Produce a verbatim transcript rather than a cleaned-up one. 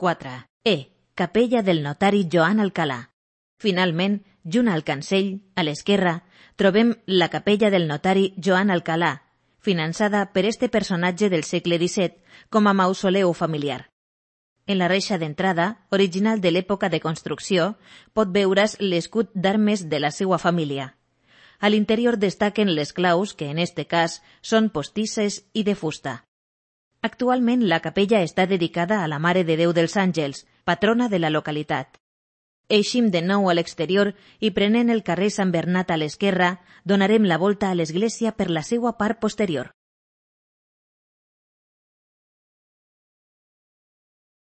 quatre. E. Capella del notari Joan Alcalà. Finalment, junt al cancell, a l'esquerra, trobem la capella del notari Joan Alcalà, finançada per este personatge del segle disset com a mausoleu familiar. En la reixa d'entrada, original de l'època de construcció, pot veure's l'escut d'armes de la seva família. A l'interior destaquen les claus, que en este cas són postisses i de fusta. Actualment la capella està dedicada a la Mare de Déu dels Àngels, patrona de la localitat. Eixim de nou a l'exterior i prenent el carrer Sant Bernat a l'esquerra, donarem la volta a l'església per la seva part posterior.